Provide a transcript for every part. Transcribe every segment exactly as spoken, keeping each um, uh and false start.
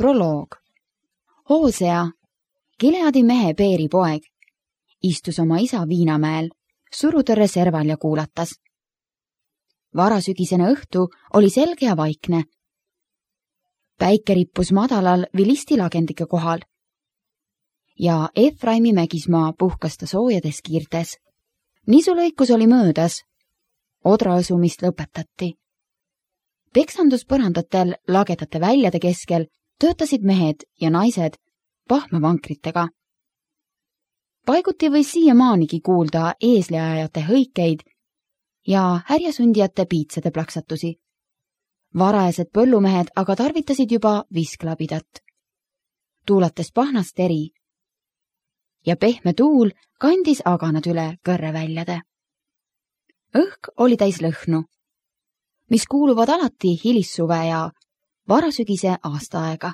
Proloog. Hoosea, Gileadi mehe Beeri poeg, istus oma isa Viinamäel, surutõrre serval ja kuulatas. Varasügisene õhtu oli selge ja vaikne. Päike rippus madalal vilisti lagendike kohal ja Efraimi mägismaa puhkas ta soojades kiirtes. Nisulõikus oli möödas. Odraõsumist lõpetati. Peksanduspõrandatel lagedate väljade keskel töötasid mehed ja naised pahmavankritega. Paiguti võis siiamaanigi kuulda eesliajate hõikeid ja härjasundijate piitsade plaksatusi. Varajased põllumehed aga tarvitasid juba visklabidat, tuulates pahnast eri, ja pehme tuul kandis aganad üle kõrreväljade. Õhk oli täis lõhnu, mis kuuluvad alati hilissuve ja varasügise aastaaega.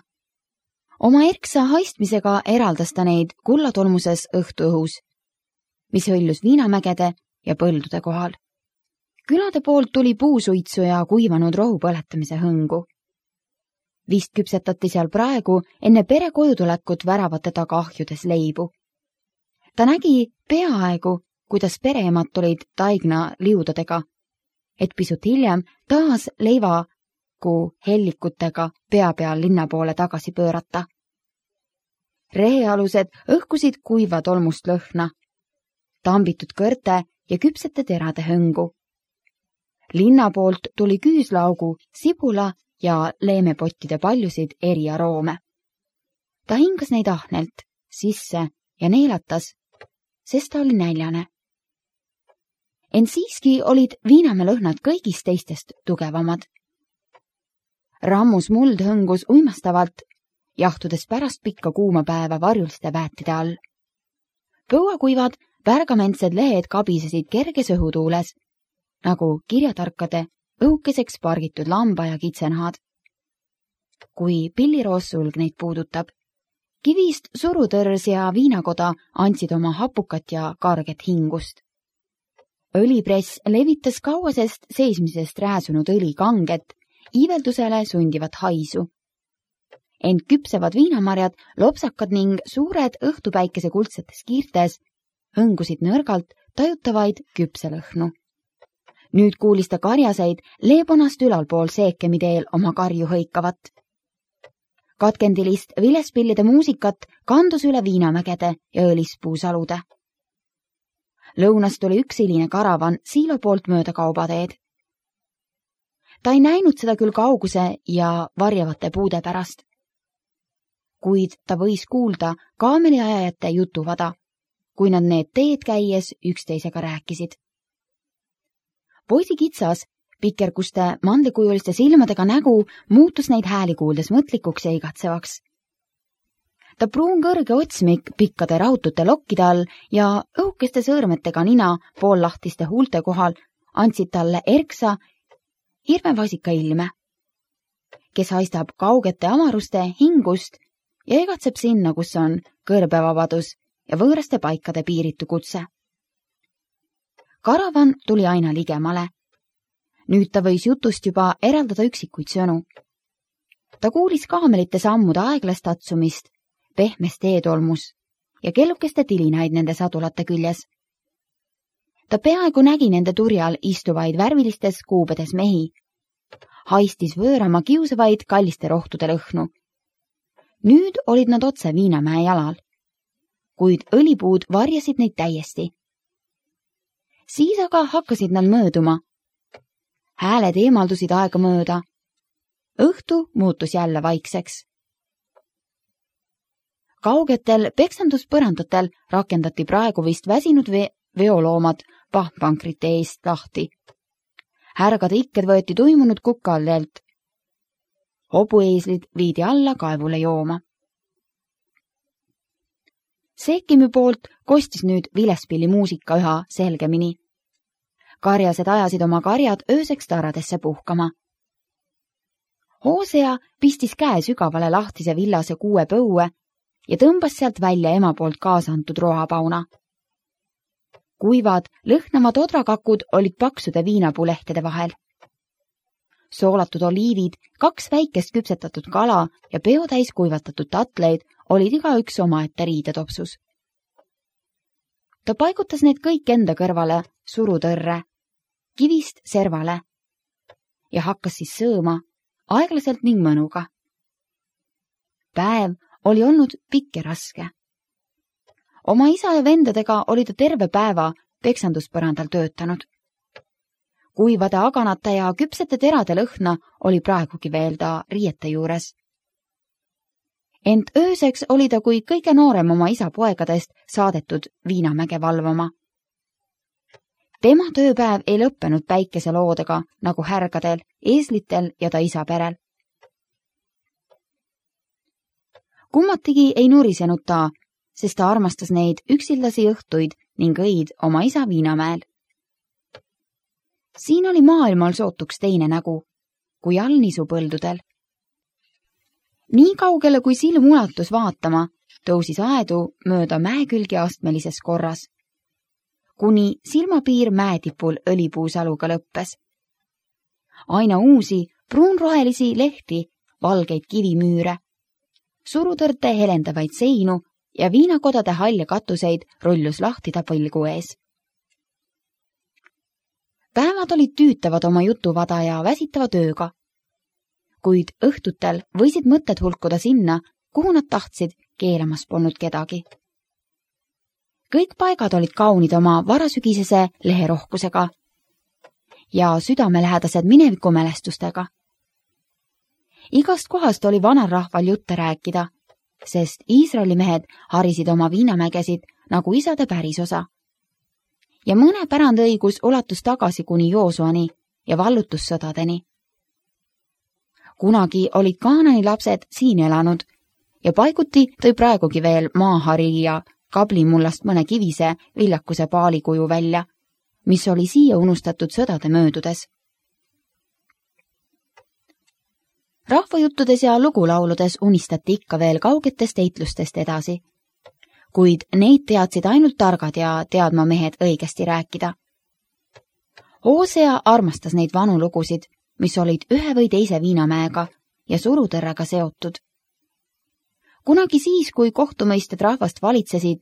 Oma erksa haistmisega eraldas ta neid kullatolmuses õhtuõhus, mis hõljus Viinamägede ja põldude kohal. Külade poolt tuli puusuitsu ja kuivanud rohu põletamise hõngu. Vist küpsetati seal praegu enne pere kojutulekut väravate taga ahjudes leibu. Ta nägi peaaegu, kuidas pereemad tulid taigna liudadega, et pisut hiljem taas leivaku hellikutega pea peal linna poole tagasi pöörata. Rehealused õhkusid kuiva tolmust lõhna, tambitud kõrte ja küpsete terade hõngu. Linna poolt tuli küüslaugu, sibula ja leemepottide paljusid eri aroome. Ta hingas neid ahnelt sisse ja neelatas, sest ta oli näljane. Ent siiski olid Viinamäe lõhnad kõigist teistest tugevamad. Rammus muld hõngus uimastavalt, jahtudes pärast pikka kuuma päeva varjuliste väetide all. Põuakuivad pärgamentsed lehed kabisesid kerges õhutuules, nagu kirjatarkade õukeseks pargitud lamba ja kitsenahad. Kui pilliroosulg neid puudutab, kivist surutõrs ja viinakoda andsid oma hapukat ja karget hingust. Õlipress levitas kauasest seismisest rääsunud õli kanget, iiveldusele sundivat haisu. Ent küpsevad viinamarjad, lopsakad ning suured õhtupäikese kuldsetes kiirtes hõngusid nõrgalt tajutavaid küpselõhnu. Nüüd kuulis ta karjaseid leebonast ülalpool seekemi teel oma karju hõikavat. Katkendilist vilespillide muusikat kandus üle Viinamägede ja õlispuusalude. Lõunas tuli üks hiline karavan siilo poolt mööda kaubateed. Ta ei näinud seda küll kauguse ja varjavate puude pärast, kuid ta võis kuulda kaameliajajate jutuvada, kui nad need teed käies üksteisega rääkisid. Poisi kitsas, pikerguste mandlikujuliste silmadega nägu muutus neid hääli kuuldes mõtlikuks ja igatsevaks. Ta pruun kõrge otsmik pikkade rahutute lokkide all ja õhukeste sõõrmetega nina poollahtiste huulte kohal andsid talle erksa hirmevasika ilme, kes haistab kaugete amaruste hingust ja igatseb sinna, kus on kõrbevabadus ja võõraste paikade piiritu kutse. Karavan tuli aina ligemale. Nüüd ta võis jutust juba eraldada üksikuid sõnu. Ta kuulis kaamelite sammude aeglast tatsumist, pehmest teetolmus ja kellukeste tilinaid nende sadulate küljes. Ta peaaegu nägi nende turjal istuvaid värvilistes kuubedes mehi, haistis võõrama kiusavaid kalliste rohtude lõhnu. Nüüd olid nad otse Viinamäe jalal, kuid õlipuud varjasid neid täiesti. Siis aga hakkasid nad mööduma. Hääled eemaldusid aega mööda. Õhtu muutus jälle vaikseks. Kaugetel peksanduspõrandatel rakendati praegu vist väsinud ve veoloomad pahmpankrite eest lahti. Härgade ikked võeti tuimunud kukallelt. Hobueeslid viidi alla kaevule jooma. Seekimi poolt kostis nüüd vilespilli muusika üha selgemini. Karjased ajasid oma karjad ööseks taradesse puhkama. Hoosea pistis käe sügavale lahtise villase kuue põue ja tõmbas sealt välja ema poolt kaasa antud roapauna. Kuivad, lõhnavad odrakakud olid paksude viinapuulehtede vahel. soolatud oliivid, kaks väikest küpsetatud kala ja peotäis kuivatatud tatleid olid igaüks omaette riidetopsus. Ta paigutas need kõik enda kõrvale surutõrre, kivist servale ja hakkas siis sööma aeglaselt ning mõnuga. Päev oli olnud pikk ja raske. Oma isa ja vendadega oli ta terve päeva peksanduspõrandal töötanud. Kuivade aganate ja küpsete terade lõhna oli praegugi veel ta riiete juures. Ent ööseks oli ta kui kõige noorem oma isa poegadest saadetud Viinamäge valvama. Tema tööpäev ei lõppenud päikeseloodega nagu härgadel, eeslitel ja ta isa perel. Kummatigi ei nurisenud ta, sest ta armastas neid üksildasi õhtuid ning õid oma isa Viinamäel. Siin oli maailmal sootuks teine nägu, kui all nisupõldudel. Nii kaugele, kui silm ulatus vaatama, tõusis aedu mööda mäekülgi astmelises korras, kuni silmapiir mäetipul õlipuusaluga lõppes. Aina uusi, pruunrohelisi lehti, valgeid kivimüüre, surutõrte helendavaid seinu ja viinakodade halja katuseid rullus lahti ta põlgu ees. Päevad olid tüütavad oma jutuvada ja väsitava tööga, kuid õhtutel võisid mõtted hulkuda sinna, kuhu nad tahtsid, keelamas polnud kedagi. Kõik paigad olid kaunid oma varasügisese leherohkusega ja südamelähedased minevikumälestustega. Igast kohast oli vanarahval jutte rääkida, sest Iisraeli mehed harisid oma viinamägesid nagu isade pärisosa. Ja mõne pärandõigus ulatus tagasi kuni Joosuani ja vallutussõdadeni. Kunagi olid Kaanani lapsed siin elanud ja paiguti tõi praegugi veel maahari ja kablimullast mõne kivise viljakuse paalikuju välja, mis oli siia unustatud sõdade möödudes. Rahvajuttudes ja lugulauludes unistati ikka veel kaugetest eitlustest edasi, kuid neid teadsid ainult targad ja teadma mehed õigesti rääkida. Hoosea armastas neid vanu lugusid, mis olid ühe või teise Viinamäega ja surutõrrega seotud. Kunagi siis, kui kohtumõisted rahvast valitsesid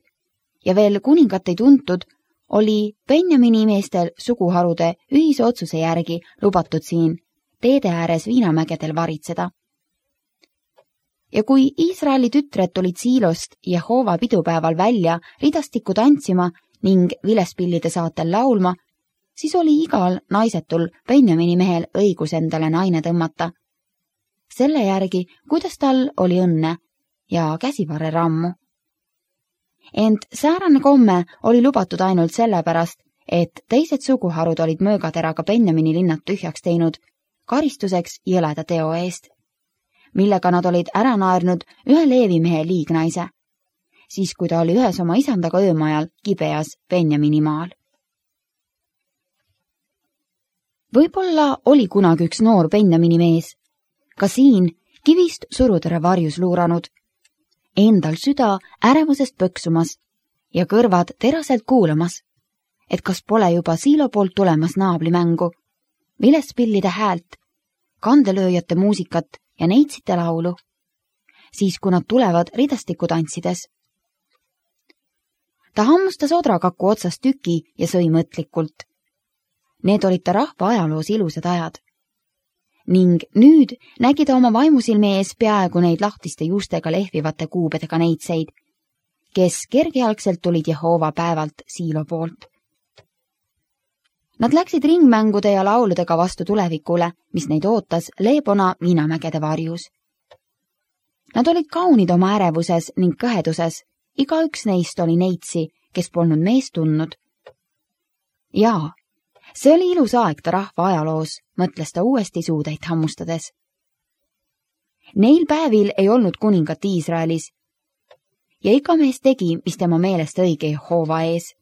ja veel kuningat ei tuntud, oli Benjamini meestel suguharude ühise otsuse järgi lubatud siin teede ääres Viinamägedel varitseda. Ja kui Iisraeli tütred tulid Siilost Jehova pidupäeval välja ridastikku tantsima ning vilespillide saatel laulma, siis oli igal naisetul Benjamini mehel õigus endale naine tõmmata. Selle järgi, kuidas tal oli õnne ja käsivarre rammu. Ent säärane komme oli lubatud ainult sellepärast, et teised suguharud olid möögateraga Benjamini linnad tühjaks teinud karistuseks jõleda teo eest, millega nad olid ära naernud ühe leevimehe liignaise, siis kui ta oli ühes oma isandaga öömajal Gibeas Benjamini maal. Võib-olla oli kunagi üks noor Benjamini mees, ka siin kivist surutõre varjus luuranud, endal süda ärevusest pöksumas ja kõrvad teraselt kuulamas, et kas pole juba Siilo poolt tulemas naablimängu, vilespillide häält, kandelööjate muusikat ja neitsite laulu, siis kui nad tulevad ridastiku tantsides. Ta hammustas odrakaku otsast tüki ja sõi mõtlikult. Need olid ta rahva ajaloos ilusad ajad. Ning nüüd nägi ta oma vaimusilme ees peaaegu neid lahtiste juustega lehvivate kuubedega neitseid, kes kergejalgselt tulid Jehova päevalt Siilo poolt. Nad läksid ringmängude ja lauludega vastu tulevikule, mis neid ootas Leebona Viinamägede varjus. Nad olid kaunid oma ärevuses ning kõheduses, igaüks neist oli neitsi, kes polnud meest tundnud. Jaa, see oli ilus aeg ta rahva ajaloos, mõtles ta uuesti suudeid hammustades. Neil päevil ei olnud kuningat Iisraelis ja iga mees tegi, mis tema meelest õige Jehova ees.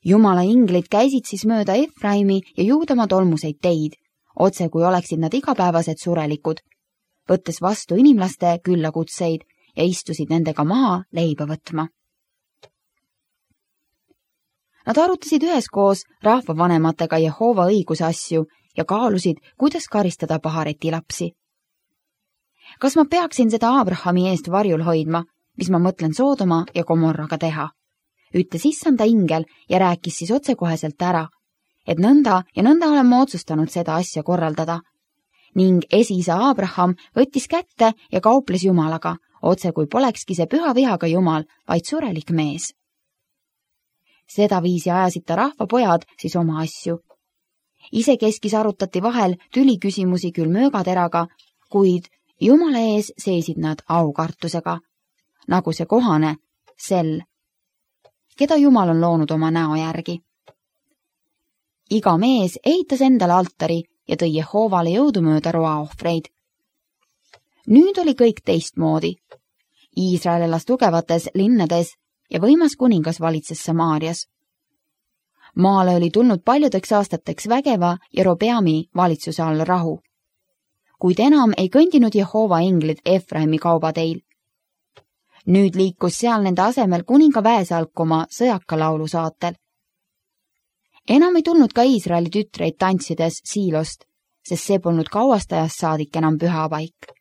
Jumala inglid käisid siis mööda Efraimi ja Juudamaa tolmuseid teid, otse kui oleksid nad igapäevased surelikud, võttes vastu inimlaste küllakutseid ja istusid nendega maha leiba võtma. Nad arutasid üheskoos rahvavanematega Jehova õiguse asju ja kaalusid, kuidas karistada pahareti lapsi. Kas ma peaksin seda Abrahami eest varjul hoidma, mis ma mõtlen Soodoma ja Gomorraga teha? Ütles issanda ingel ja rääkis siis otsekoheselt ära, et nõnda ja nõnda olen ma otsustanud seda asja korraldada. Ning esiisa Abraham võttis kätte ja kauples Jumalaga, otse kui polekski see püha vihaga Jumal, vaid surelik mees. Seda viisi ajasid ta rahvapojad siis oma asju. Isekeskis arutati vahel tüliküsimusi küll möögateraga, kuid Jumala ees seisid nad aukartusega, nagu see kohane, sel, keda Jumal on loonud oma näo järgi. Iga mees ehitas endale altari ja tõi Jehoovale jõudumööda roaohvreid. Nüüd oli kõik teistmoodi. Iisrael elas tugevates linnades ja võimas kuningas valitses Samaarias. Maale oli tulnud paljudeks aastateks vägeva Jerobeami valitsuse all rahu, kuid enam ei kõndinud Jehoova inglid Efraimi kaubateil. Nüüd liikus seal nende asemel kuninga väesalk oma sõjaka laulu saatel. Enam ei tulnud ka Iisraeli tütreid tantsides Siilost, sest see polnud kauast ajast saadik enam pühapaik.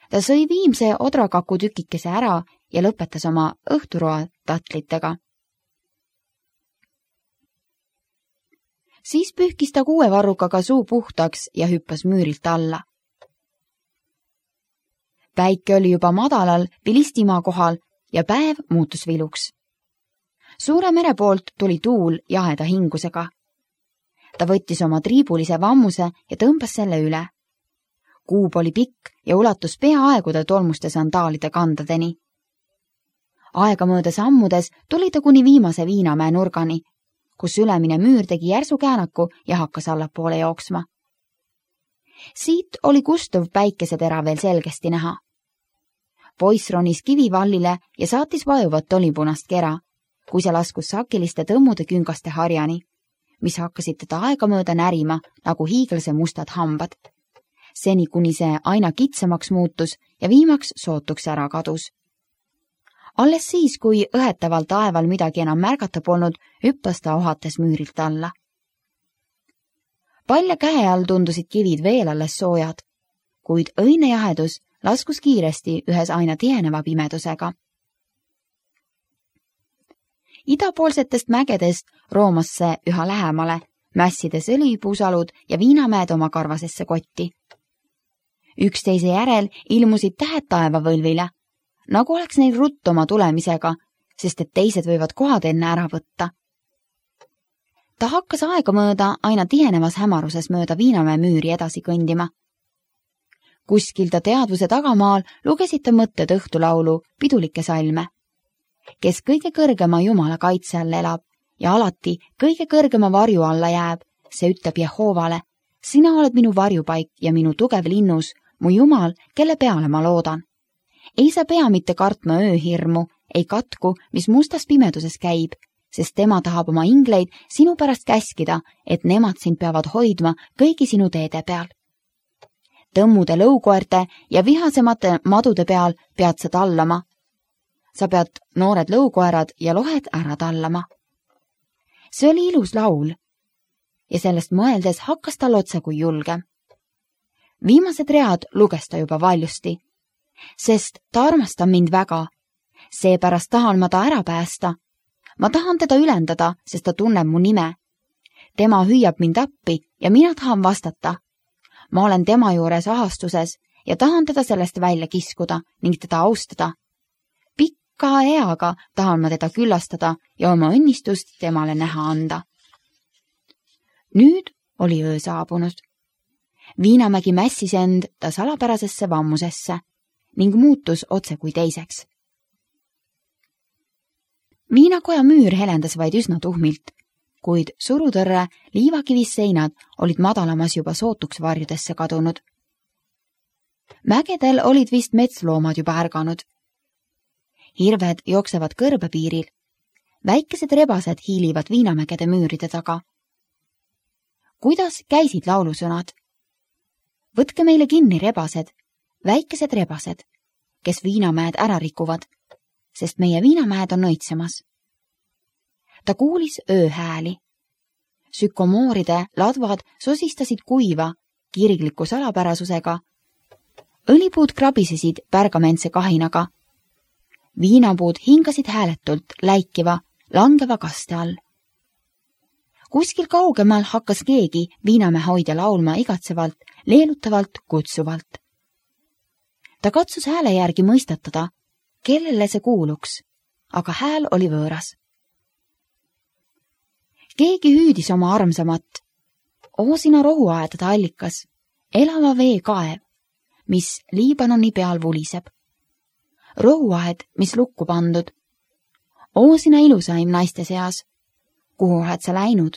Ta sõi viimse odrakaku tükikese ära ja lõpetas oma õhturoa tatlitega. Siis pühkis ta kuue varrukaga suu puhtaks ja hüppas müürilt alla. Päike oli juba madalal Pilistimaa kohal ja päev muutus viluks. Suure mere poolt tuli tuul jaheda hingusega. Ta võttis oma triibulise vammuse ja tõmbas selle üle. Kuub oli pikk ja ulatus peaaegude tolmuste sandaalide kandadeni. Aegamööda sammudes tuli ta kuni viimase Viinamäe nurgani, kus ülemine müür tegi järsu käänaku ja hakkas allapoole jooksma. Siit oli kustuv päikesetera veel selgesti näha. Poiss ronis kivivallile ja saatis vajuvat olipunast kera, kui see laskus sakiliste tõmmude küngaste harjani, mis hakkasid teda aegamööda närima nagu hiiglase mustad hambad. Seni kuni see aina kitsamaks muutus ja viimaks sootuks ära kadus. Alles siis, kui õhetaval taeval midagi enam märgata polnud, hüppas ta ohates müürilt alla. Palja käe all tundusid kivid veel alles soojad, kuid õine jahedus laskus kiiresti ühes aina tiheneva pimedusega. Idapoolsetest mägedest roomas see üha lähemale, mässides õlipuusalud ja Viinamäed oma karvasesse kotti. Üksteise järel ilmusid tähed taevavõlvile, nagu oleks neil rutt oma tulemisega, sest et teised võivad kohad enne ära võtta. Ta hakkas aegamööda aina tihenevas hämaruses mööda Viinamäe müüri edasi kõndima. Kuskil ta teadvuse tagamaal lugesid ta mõtted õhtulaulu pidulikke salme, kes kõige kõrgema Jumala kaitse all elab ja alati kõige kõrgema varju alla jääb, see ütleb Jehoovale, sina oled minu varjupaik ja minu tugev linnus, mu Jumal, kelle peale ma loodan. Ei sa pea mitte kartma ööhirmu, ei katku, mis mustas pimeduses käib, sest tema tahab oma ingleid sinu pärast käskida, et nemad sind peavad hoidma kõigi sinu teede peal. Tõmmude lõukoerte ja vihasemate madude peal pead sa tallama. Sa pead noored lõukoerad ja lohed ära tallama. See oli ilus laul ja sellest mõeldes hakkas tal otse kui julge. Viimased read luges ta juba valjusti, sest ta armastab mind väga. Seepärast tahan ma ta ära päästa. Ma tahan teda ülendada, sest ta tunneb mu nime. Tema hüüab mind appi ja mina tahan vastata. Ma olen tema juures ahastuses ja tahan teda sellest välja kiskuda ning teda austada. Pikka eaga tahan ma teda küllastada ja oma õnnistust temale näha anda. Nüüd oli öö saabunud. Viinamägi mässis end ta salapärasesse vammusesse ning muutus otse kui teiseks. Viinakoja müür helendas vaid üsna tuhmilt, kuid surutõrre liivakivis seinad olid madalamas juba sootuks varjudesse kadunud. Mägedel olid vist metsloomad juba ärganud. Hirved jooksevad kõrbepiiril. Väikesed rebased hiilivad Viinamägede müüride taga. Kuidas käisid laulusõnad? Võtke meile kinni rebased, väikesed rebased, kes Viinamäed ära rikuvad, sest meie Viinamäed on õitsemas. Ta kuulis ööhääli. Sükomooride ladvad sosistasid kuiva, kirgliku salapärasusega. Õlipuud krabisesid pärgamentse kahinaga. Viinapuud hingasid hääletult läikiva, langeva kaste all. Kuskil kaugemal hakkas keegi viinamäe hoidja laulma igatsevalt, leelutavalt, kutsuvalt. Ta katsus hääle järgi mõistatada, kellele see kuuluks, aga hääl oli võõras. Keegi hüüdis oma armsamat. Oosina rohuaedade allikas, elava vee kaev, mis Liibanoni peal vuliseb. Rohuaed, mis lukku pandud. Oosina ilusaim naiste seas. Kuhu oled sa läinud?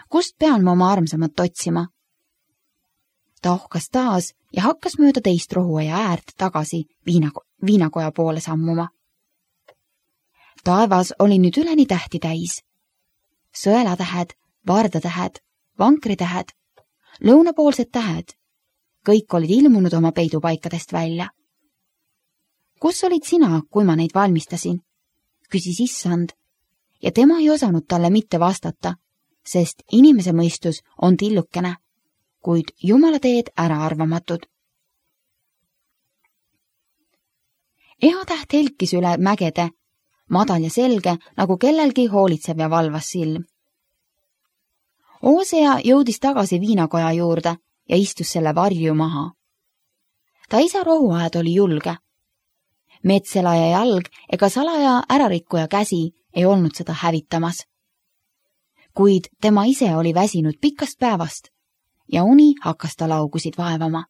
Kust pean ma oma armsamat otsima? Ta ohkas taas ja hakkas mööda teist rohuaia äärt tagasi viinako viinakoja poole sammuma. Taevas oli nüüd üleni tähti täis. Sõelatähed, vardatähed, vankritähed, lõunapoolsed tähed. Kõik olid ilmunud oma peidupaikadest välja. Kus olid sina, kui ma neid valmistasin? Küsis issand ja tema ei osanud talle mitte vastata, sest inimese mõistus on tillukene, kuid Jumala teed äraarvamatud. Ehatäht helkis üle mägede, madal ja selge, nagu kellelgi hoolitsev ja valvas silm. Oosea jõudis tagasi viinakoja juurde ja istus selle varju maha. Ta isa rohuaed oli julge. Metselaja jalg ega salaja ärarikkuja käsi ei olnud seda hävitamas. Kuid tema ise oli väsinud pikast päevast ja uni hakkas ta laugusid vaevama.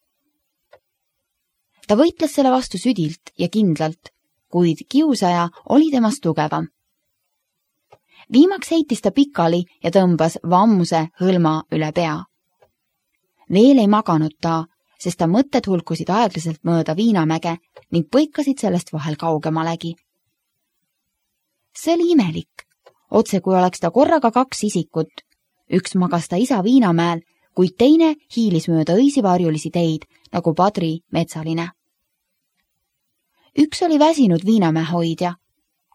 Ta võitles selle vastu südilt ja kindlalt, kuid kiusaja oli temast tugevam. Viimaks heitis ta pikali ja tõmbas vammuse hõlma üle pea. Veel ei maganud ta, sest ta mõtted hulkusid aeglaselt mööda viinamäge ning põikasid sellest vahel kaugemalegi. See oli imelik, otse kui oleks ta korraga kaks isikut. Üks magas ta isa viinamäel, kuid teine hiilis mööda õisi varjulisi teid, nagu Padri metsaline. Üks oli väsinud viinamäe hoidja,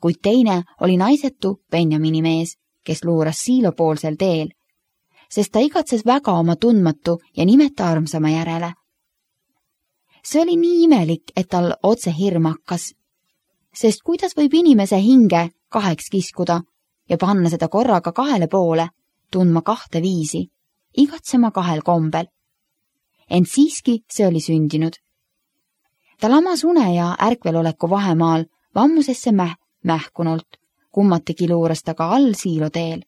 kuid teine oli naisetu Benjamini mees, kes luuras siilopoolsel teel, sest ta igatses väga oma tundmatu ja nimeta armsama järele. See oli nii imelik, et tal otse hirm hakkas, sest kuidas võib inimese hinge kaheks kiskuda ja panna seda korraga kahele poole, tundma kahte viisi, igatsema kahel kombel. Ent siiski see oli sündinud. Ta lamas une ja ärkveloleku vahemaal vammusesse mäh mähkunult, kummatigi luuras ta ka all siiloteel,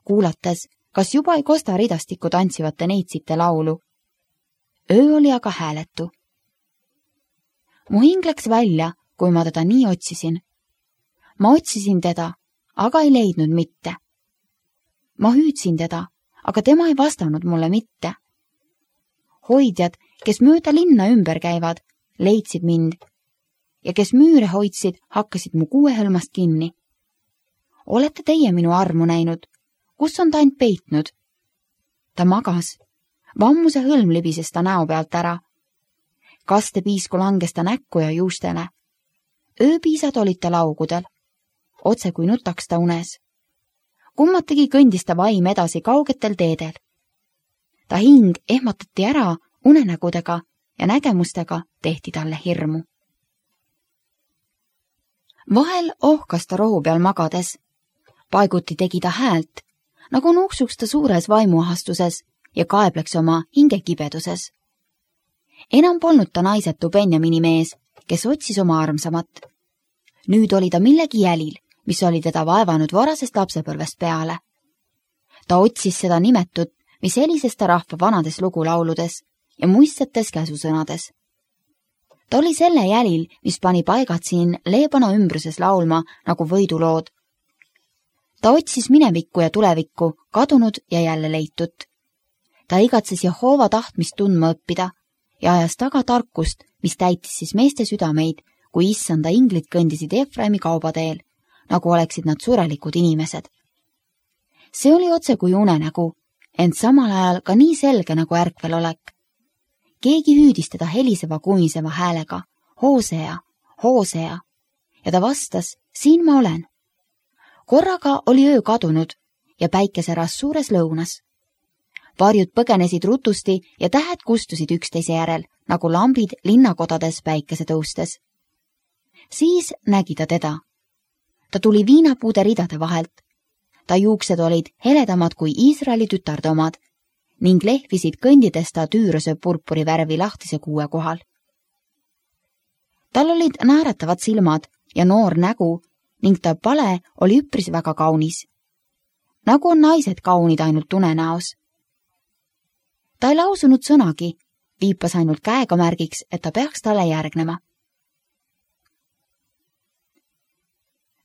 kuulates, kas juba ei kosta ridastikku tantsivate neitsite laulu. Öö oli aga hääletu. Mu hing läks välja, kui ma teda nii otsisin. Ma otsisin teda, aga ei leidnud mitte. Ma hüüdsin teda, aga tema ei vastanud mulle mitte. Hoidjad, kes mööda linna ümber käivad, leidsid mind ja kes müüre hoidsid, hakkasid mu kuuehõlmast kinni. Olete teie minu armu näinud? Kus on ta end peitnud? Ta magas. Vammuse hõlm libises ta näo pealt ära. Kastepiisku langes ta näkku ja juustele. Ööpiisad olid ta laugudel. Otse kui nutaks ta unes. Kummatigi kõndis ta vaim edasi kaugetel teedel. Ta hing ehmatati ära unenägudega ja nägemustega tehti talle hirmu. Vahel ohkas ta rohu peal magades. Paiguti tegi ta häält, nagu nuuksuks ta suures vaimuahastuses ja kaebleks oma hingekibeduses. Enam polnud ta naisetu Benjamini mees, kes otsis oma armsamat. Nüüd oli ta millegi jälil, mis oli teda vaevanud varasest lapsepõlvest peale. Ta otsis seda nimetut, mis helises ta rahva vanades lugulauludes ja muistsetes käsusõnades. Ta oli selle jälil, mis pani paigad siin Leebana ümbruses laulma nagu võidulood. Ta otsis minevikku ja tulevikku, kadunud ja jälle leitut. Ta igatses Jehova tahtmist tundma õppida ja ajas taga tarkust, mis täitis siis meeste südameid, kui issanda inglid kõndisid Efraimi kaubateel, nagu oleksid nad surelikud inimesed. See oli otse kui unenägu, ent samal ajal ka nii selge nagu ärkvelolek. Keegi hüüdis teda heliseva kumiseva häälega, Hoosea, Hoosea, ja ta vastas, siin ma olen. Korraga oli öö kadunud ja päike säras suures lõunas. varjud põgenesid rutusti ja tähed kustusid üksteise järel, nagu lambid linnakodades päikese tõustes. Siis nägi ta teda. Ta tuli viinapuude ridade vahelt. Ta juuksed olid heledamad kui Iisraeli tütarde omad ning lehvisid kõndides ta tüüruse purpuri värvi lahtise kuue kohal. Tal olid naeratavad silmad ja noor nägu ning ta pale oli üpris väga kaunis. Nagu on naised kaunid ainult unenäos. Ta ei lausunud sõnagi, viipas ainult käega märgiks, et ta peaks talle järgnema.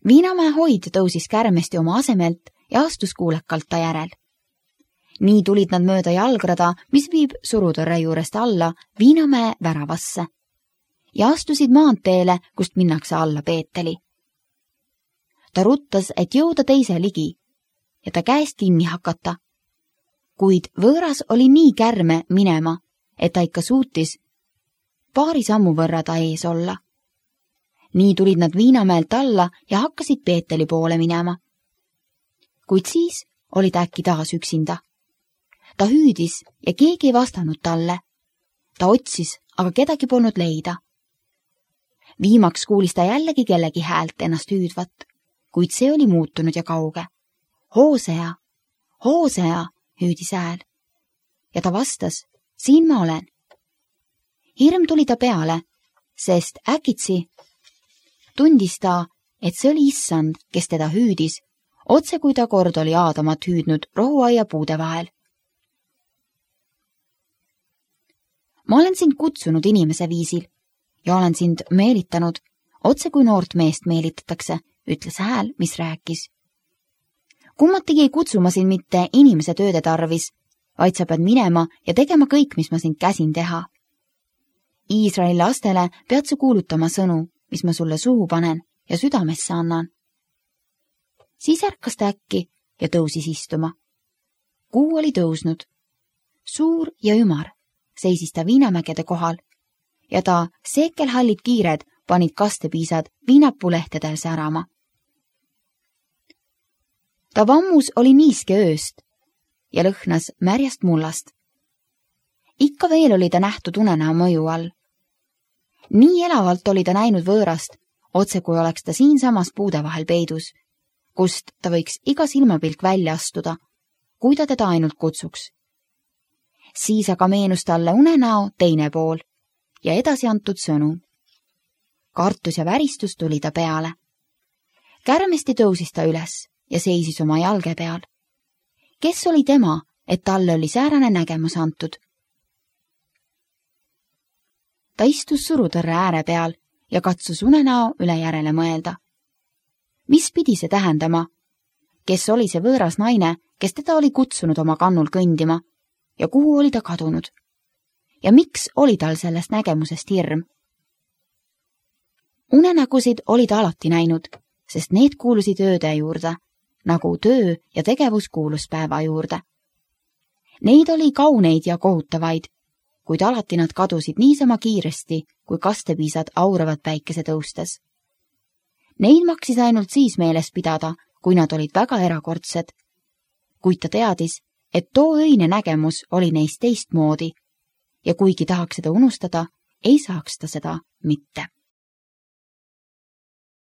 Viinamäe hoid tõusis kärmesti oma asemelt ja astus kuulekalt ta järel. Nii tulid nad mööda jalgrada, mis viib surutõrre juurest alla Viinamäe väravasse ja astusid maanteele, kust minnakse alla Peeteli. Ta ruttas, et jõuda teise ligi ja ta käest kinni hakata, kuid võõras oli nii kärme minema, et ta ikka suutis paari sammu võrra ta ees olla. Nii tulid nad Viinamäelt alla ja hakkasid Peeteli poole minema. Kuid siis oli ta äkki taas üksinda. Ta hüüdis ja keegi ei vastanud talle. Ta otsis, aga kedagi polnud leida. Viimaks kuulis ta jällegi kellegi häält ennast hüüdvat, kuid see oli muutunud ja kauge. Hoosea, Hoosea, hüüdis hääl. Ja ta vastas, siin ma olen. Hirm tuli ta peale, sest äkitsi tundis ta, et see oli issand, kes teda hüüdis, otse kui ta kord oli Aadamat hüüdnud rohuaia puude vahel. Ma olen sind kutsunud inimese viisil ja olen sind meelitanud, otse kui noort meest meelitatakse, ütles hääl, mis rääkis. Kummatigi ei kutsu ma sind mitte inimese tööde tarvis, vaid sa pead minema ja tegema kõik, mis ma sind käsin teha. Iisraeli lastele pead sa kuulutama sõnu, mis ma sulle suhu panen ja südamesse annan. Siis ärkas ta äkki ja tõusis istuma. Kuu oli tõusnud. Suur ja ümar seisis ta viinamägede kohal ja ta seekelhallid kiired panid kastepiisad viinapuulehtedel särama. Ta vammus oli niiske ööst ja lõhnas märjast mullast. Ikka veel oli ta nähtud unenäo mõju all. Nii elavalt oli ta näinud võõrast, otse kui oleks ta siinsamas puude vahel peidus, kust ta võiks iga silmapilk välja astuda, kui ta teda ainult kutsuks. Siis aga meenus talle unenäo teine pool ja edasi antud sõnu. Kartus ja väristus tuli ta peale. Kärmesti tõusis ta üles ja seisis oma jalge peal. Kes oli tema, et talle oli säärane nägemus antud? Ta istus surutõrre ääre peal ja katsus unenäo üle järele mõelda. Mis pidi see tähendama? Kes oli see võõras naine, kes teda oli kutsunud oma kannul kõndima ja kuhu oli ta kadunud? Ja miks oli tal sellest nägemusest hirm? Unenägusid oli ta alati näinud, sest need kuulusid ööde juurde, nagu töö ja tegevus kuulus päeva juurde. Neid oli kauneid ja kohutavaid, kuid alati nad kadusid niisama kiiresti, kui kastepiisad auravad päikese tõustes. Neid maksis ainult siis meeles pidada, kui nad olid väga erakordsed, kuid ta teadis, et too öine nägemus oli neist teistmoodi ja kuigi tahaks seda unustada, ei saaks ta seda mitte.